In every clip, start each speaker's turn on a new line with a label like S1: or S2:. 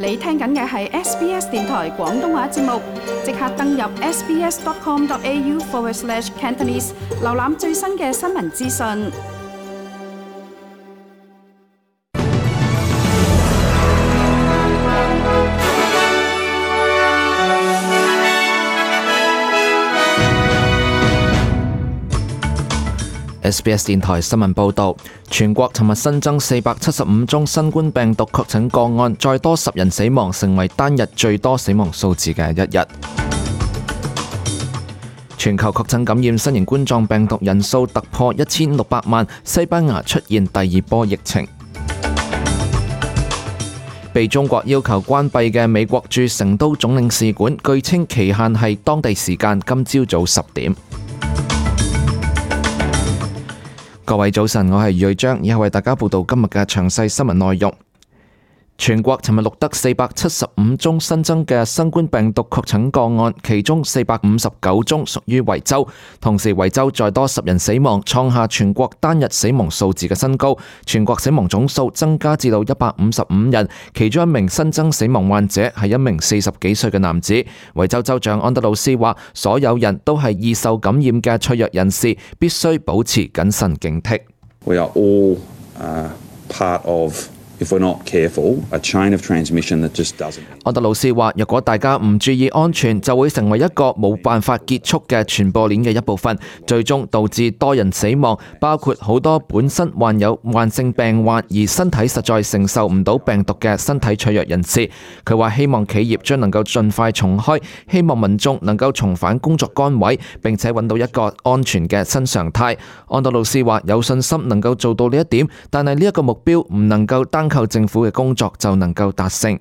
S1: 你聽緊嘅係 SBS 電台廣東話節目，即刻登入 sbs.com.au/Cantonese 瀏覽最新嘅新聞資訊。
S2: SBS 電台新聞報導，全國尋日新增475宗新冠病毒確診個案，再多10人死亡，成為單日最多死亡數字嘅一日。全球確診感染新型冠狀病毒人數突破1600萬，西班牙出現第2波疫情。被中國要求關閉嘅美國駐成都總領事館，據稱期限係當地時間今朝早10點。各位早晨，我係余瑞章，以下為大家報道今日嘅詳細新聞內容。全國尋日錄得475宗新增嘅新冠病毒確診個案，其中459宗屬於維州，同時維州再多10人死亡，創下全國單日死亡數字嘅新高。全國死亡總數增加至到155人，其中一名新增死亡患者係一名40幾歲嘅男子。維州州長安德魯斯話，所有人都係易受感染嘅脆弱人士，必須保持謹慎警惕。
S3: We are all part of.If we're not careful, a chain of transmission that just doesn't.
S2: 安德魯斯話，若果大家唔注意安全，就會成為一個冇辦法結束嘅傳播鏈嘅一部分，最終導致多人死亡，包括好多本身患有慢性病患而身體實在承受唔到病毒嘅身體脆弱人士。佢話希望企業將能夠盡快重開，希望民眾能夠重返工作崗位，並且揾到一個安全嘅新常態。安德魯斯話有信心能夠做到呢一點，但係呢一個目標唔能夠單靠政府嘅工作就能夠達成。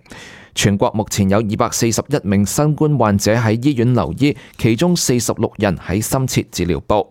S2: 全國目前有241名新冠患者喺醫院留醫，其中46人喺深切治療部。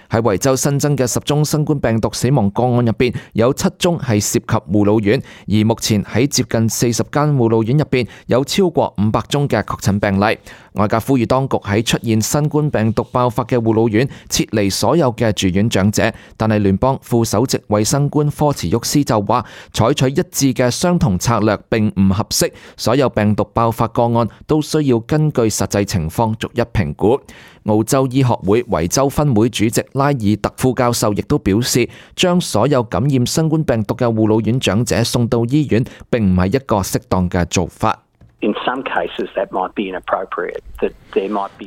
S2: 喺維州新增嘅10宗新冠病毒死亡個案入邊，有7宗係涉及護老院，而目前喺接近40間護老院入邊，有超過500宗嘅確診病例。外界呼籲當局喺出現新冠病毒爆發嘅護老院撤離所有嘅住院長者，但係聯邦副首席衛生官科茨沃斯就話，採取一致嘅相同策略並唔合適，所有病毒爆發個案都需要根據實際情況逐一評估。澳洲醫學會維州分會主席拉爾特副教授亦都表示，將所有感染新冠病毒嘅護老院長者送到醫院並唔係一個適當嘅做法。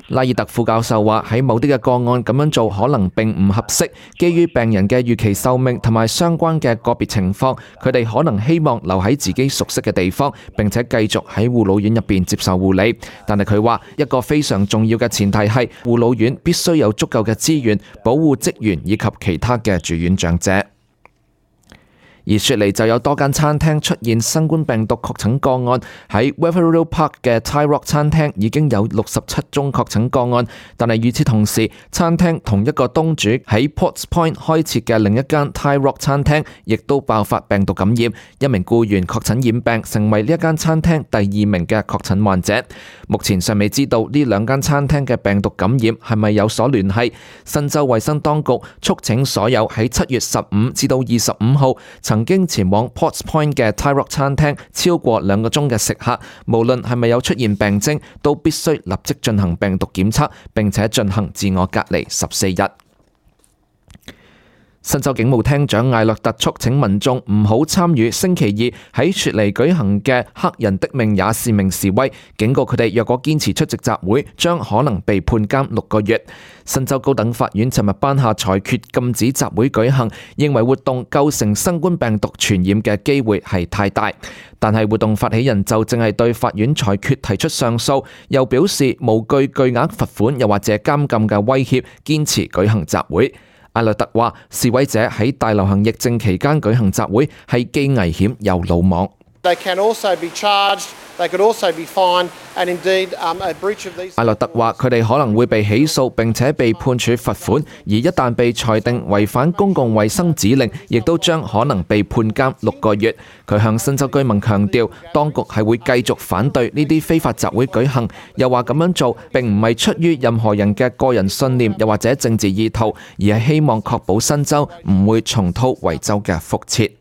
S2: 拉爾特副教授話，喺某啲嘅個案咁樣做可能並唔合適，基於病人嘅預期壽命同埋相關嘅個別情況，佢哋可能希望留喺自己熟悉嘅地方，並且繼續喺護老院入邊接受護理。但係佢話，一個非常重要嘅前提係護老院必須有足夠嘅資源保護職員以及其他嘅住院長者。而雪梨就有多間餐廳出現新冠病毒確診個案，喺 Wetherill Park 嘅 Thai Rock 餐廳已經有67宗確診個案，但係與此同時，餐廳同一個東主喺 Potts Point 開設嘅另一間 Thai Rock 餐廳亦都爆發病毒感染，一名僱員確診染病，成為呢一間餐廳第2名嘅確診患者。目前尚未知道呢兩間餐廳嘅病毒感染係咪有所聯繫。新州衛生當局促請所有喺7月15至到25號曾經前往 Potts Point 嘅 Thai Rock 餐廳超過2個鐘嘅食客，無論係咪有出現病徵，都必須立即進行病毒檢測，並且進行自我隔離14日。新州警務廳長艾略特促請民眾唔好參與星期二喺雪梨舉行嘅黑人的命也是命示威，警告佢哋若果堅持出席集會，將可能被判監6個月。新州高等法院尋日頒下裁決，禁止集會舉行，認為活動構成新冠病毒傳染嘅機會係太大。但係活動發起人就正係對法院裁決提出上訴，又表示無懼巨額罰款又或者監禁嘅威脅，堅持舉行集會。艾略特話，示威者喺大流行疫症期間舉行集會係既危險又魯莽。艾略特話，佢哋可能會被起訴並且被判處罰款，而一旦被裁定違反公共衛生指令，亦都將可能被判監6個月。佢向新州居民強調，當局係會繼續反對呢啲非法集會舉行，又話咁樣做並唔係出於任何人嘅個人信念又或者政治意圖，而係希望確保新州唔會重蹈維州嘅覆轍。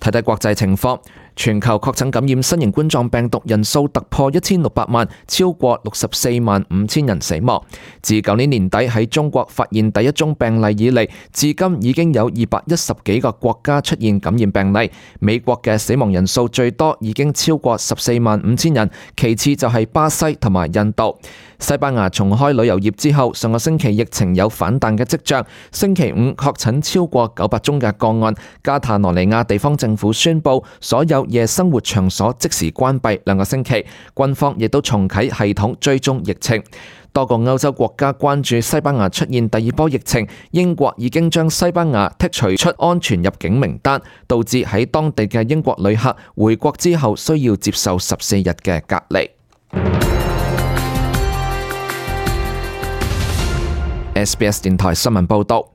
S2: 睇睇國際情況，全球確診感染新型冠狀病毒人數突破1600萬，超過64萬5千人死亡。自舊年年底喺中國發現第一宗病例以嚟，至今已經有210幾個國家出現感染病例。美國嘅死亡人數最多，已經超過14萬5千人，其次就係巴西同埋印度。西班牙重開旅遊業之後，上個星期疫情有反彈嘅跡象。星期五確診超過900宗嘅個案。加泰羅尼亞地方政府宣布，所有夜生活場所即時關閉2個星期。軍方亦都重啟系統追蹤疫情。多個歐洲國家關注西班牙出現第二波疫情，英國已經將西班牙剔除出安全入境名單，導致喺當地嘅英國旅客回國之後需要接受14日嘅隔離。SBS 電台新聞報導，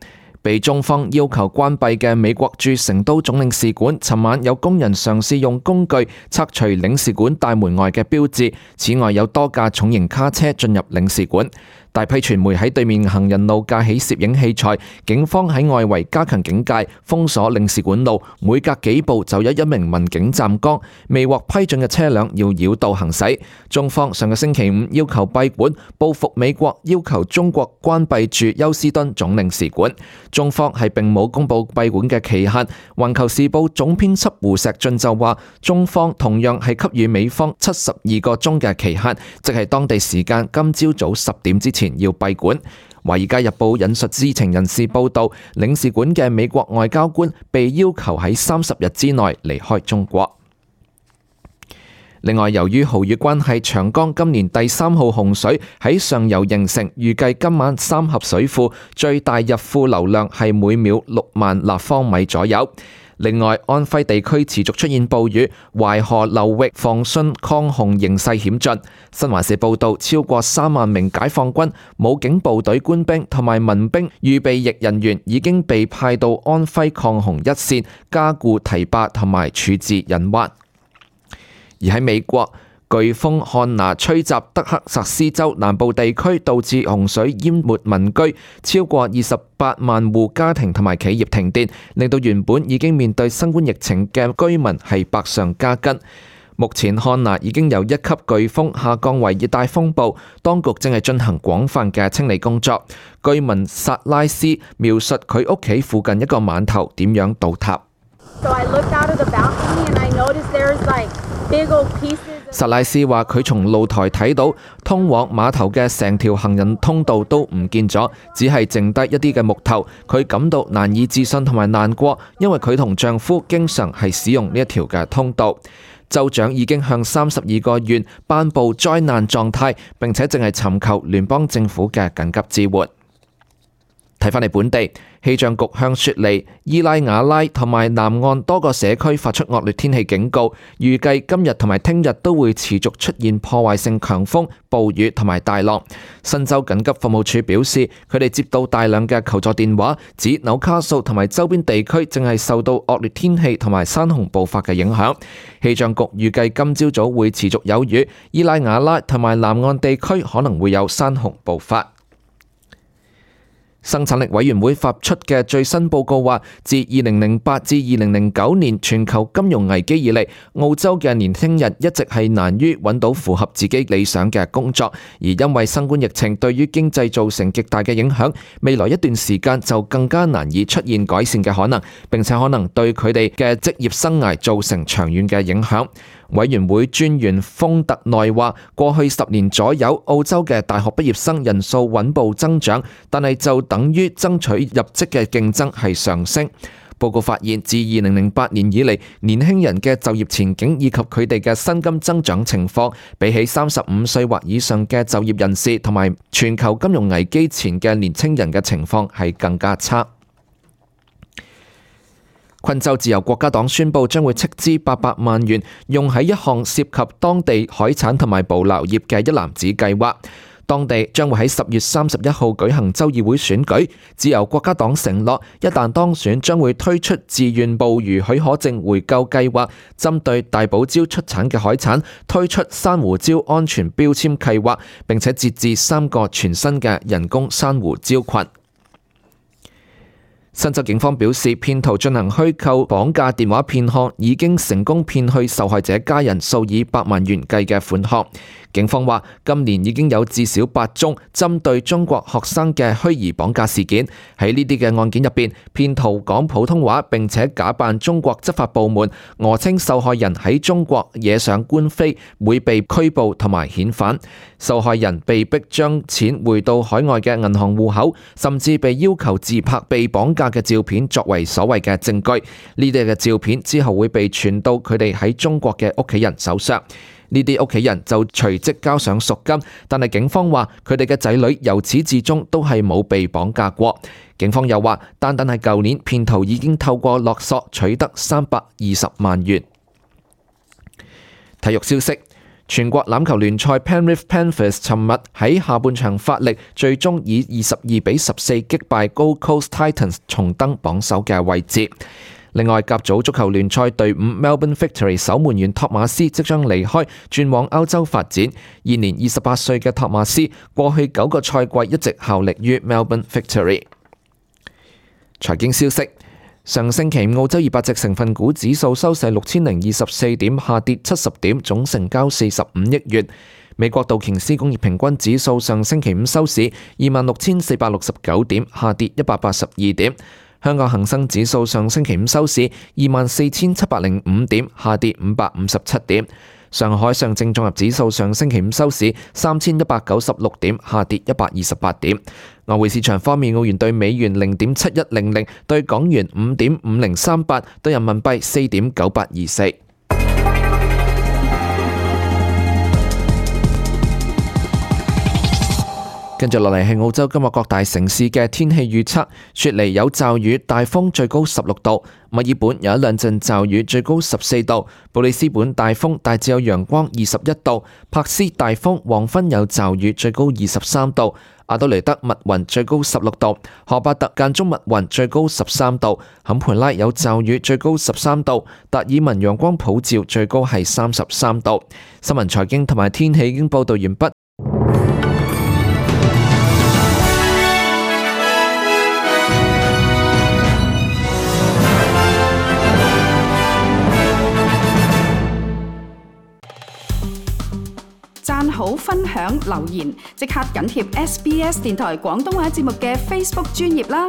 S2: 被中方要求關閉嘅美國駐成都總領事館，尋晚有工人嘗試用工具拆除領事館大門外嘅標誌，此外有多架重型卡車進入領事館。大批傳媒喺對面行人路架起攝影器材，警方喺外圍加強警戒，封鎖領事館路，每隔幾步就有一名民警站崗，未獲批准嘅車輛要繞道行駛。中方上個星期五要求閉館，報復美國要求中國關閉駐休斯敦總領事館。中方係並冇公佈閉館嘅期限。環球時報總編輯胡錫進就話，中方同樣係給予美方72個鐘嘅期限，即係當地時間今朝早10點之前要閉館。華爾街日報引述知情人士報道，領事館嘅美國外交官被要求喺30日之內離開中國。另外，由於豪雨關係，長江今年第3號洪水喺上游形成，預計今晚三峽水庫最大入庫流量係每秒6萬立方米左右。另外，安徽地區持續出現暴雨，淮河流域防汛抗洪形勢險峻。新華社報道，超過3萬名解放軍、武警部隊官兵同埋民兵預備役人員已經被派到安徽抗洪一線，加固堤壩同埋處置隱患。而喺美國，颶風漢娜吹襲德克薩斯州南部地區，導致洪水淹沒民居，超過28萬戶家庭同埋企業停電，令到原本已經面對新冠疫情嘅居民係百上加斤。目前漢娜已經由1級颶風下降為熱帶風暴，當局正係進行廣泛嘅清理工作。居民薩拉斯描述佢屋企附近一個碼頭點樣倒塌。薩拉斯話：佢從露台睇到通往碼頭嘅成條行人通道都唔見咗，只係剩低一啲嘅木頭。佢感到難以置信同埋難過，因為佢同丈夫經常係使用呢一條嘅通道。州長已經向32個縣頒布災難狀態，並且正係尋求聯邦政府嘅緊急支援。睇返嚟本地，氣象局向雪梨、伊拉瓦拉同埋南岸多個社區發出惡劣天氣警告，預計今日同埋聽日都會持續出現破壞性強風、暴雨同埋大浪。新州緊急服務處表示，佢哋接到大量嘅求助電話，指紐卡素同埋周邊地區正係受到惡劣天氣同埋山洪暴發嘅影響。氣象局預計今朝早會持續有雨，伊拉瓦拉同埋南岸地區可能會有山洪暴發。生產力委員會發出嘅最新報告話，自2008至2009年全球金融危機以嚟，澳洲嘅年輕人一直係難於揾到符合自己理想嘅工作，而因為新冠疫情對於經濟造成極大嘅影響，未來一段時間就更加難以出現改善嘅可能，並且可能對佢哋嘅職業生涯造成長遠嘅影響。委員會專員豐特內話，過去10年左右，澳洲嘅大學畢業生人數穩步增長，但係就等於爭取入職嘅競爭係上升。報告發現，自2008年以嚟，年輕人嘅就業前景以及佢哋嘅薪金增長情況，比起35歲或以上嘅就業人士同埋全球金融危機前嘅年輕人嘅情況係更加差。昆州自由國家黨宣布將會斥資800萬元，用喺一項涉及當地海產同埋捕撈業嘅一籃子計劃。當地將會喺10月31號舉行州議會選舉。自由國家黨承諾，一旦當選，將會推出自願捕魚許可證回購計劃，針對大堡礁出產嘅海產推出珊瑚礁安全標籤計劃，並且設置3個全新嘅人工珊瑚礁群。新州警方表示，騙徒進行虛構綁架電話騙項，已經成功騙去受害者家人數以百萬元計嘅款項。警方話，今年已經有至少8宗針對中國學生嘅虛擬綁架事件。喺呢啲嘅案件入邊，騙徒講普通話並且假扮中國執法部門，訛稱受害人喺中國惹上官非，會被拘捕同埋遣返。受害人被迫將錢匯到海外嘅銀行戶口，甚至被要求自拍被綁架嘅照片作為所謂嘅證據。呢啲嘅照片之後會被傳到佢哋喺中國嘅屋企人手上，呢啲屋企人就隨即交上贖金。但係警方話佢哋嘅仔女由始至終都係冇被綁架過。警方又話，單係舊年，騙徒已經透過勒索取得320萬元。體育消息。全國欖球聯賽 Penrith Panthers 尋日喺下半場發力，最終以22-14擊敗 Gold Coast Titans， 重登榜首嘅位置。另外，甲組足球聯賽隊伍 Melbourne Victory 守門員托馬斯即將離開，轉往歐洲發展。現年28歲嘅托馬斯，過去9個賽季一直效力於 Melbourne Victory。財經消息。上星期澳洲200隻成分股指數收市6024點，下跌70點，總成交45億元。美國道瓊斯工業平均指數上星期五收市26,469點，下跌182點。香港恒生指數上星期五收市24,705點，下跌557點。上海上證綜合指數上星期五收市3196點，下跌128點。外匯市場方面，澳元對美元0.7100，對港元5.5038，對人民幣4.9824。跟住落嚟係澳洲今日各大城市嘅天氣預測。雪梨有驟雨，大風，最高16度；墨爾本有一兩陣驟雨，最高14度；布里斯本大風，大致有陽光21度；柏斯大風，黃昏有驟雨，最高23度；阿德雷德密雲，最高16度；荷巴特間中密雲，最高13度；坎培拉有驟雨，最高13度；達爾文陽光普照，最高係33度。新聞財經同埋天氣已經報道完畢。
S1: 讚好、分享、留言，即刻緊貼SBS 電台廣東話節目嘅 Facebook 專頁啦！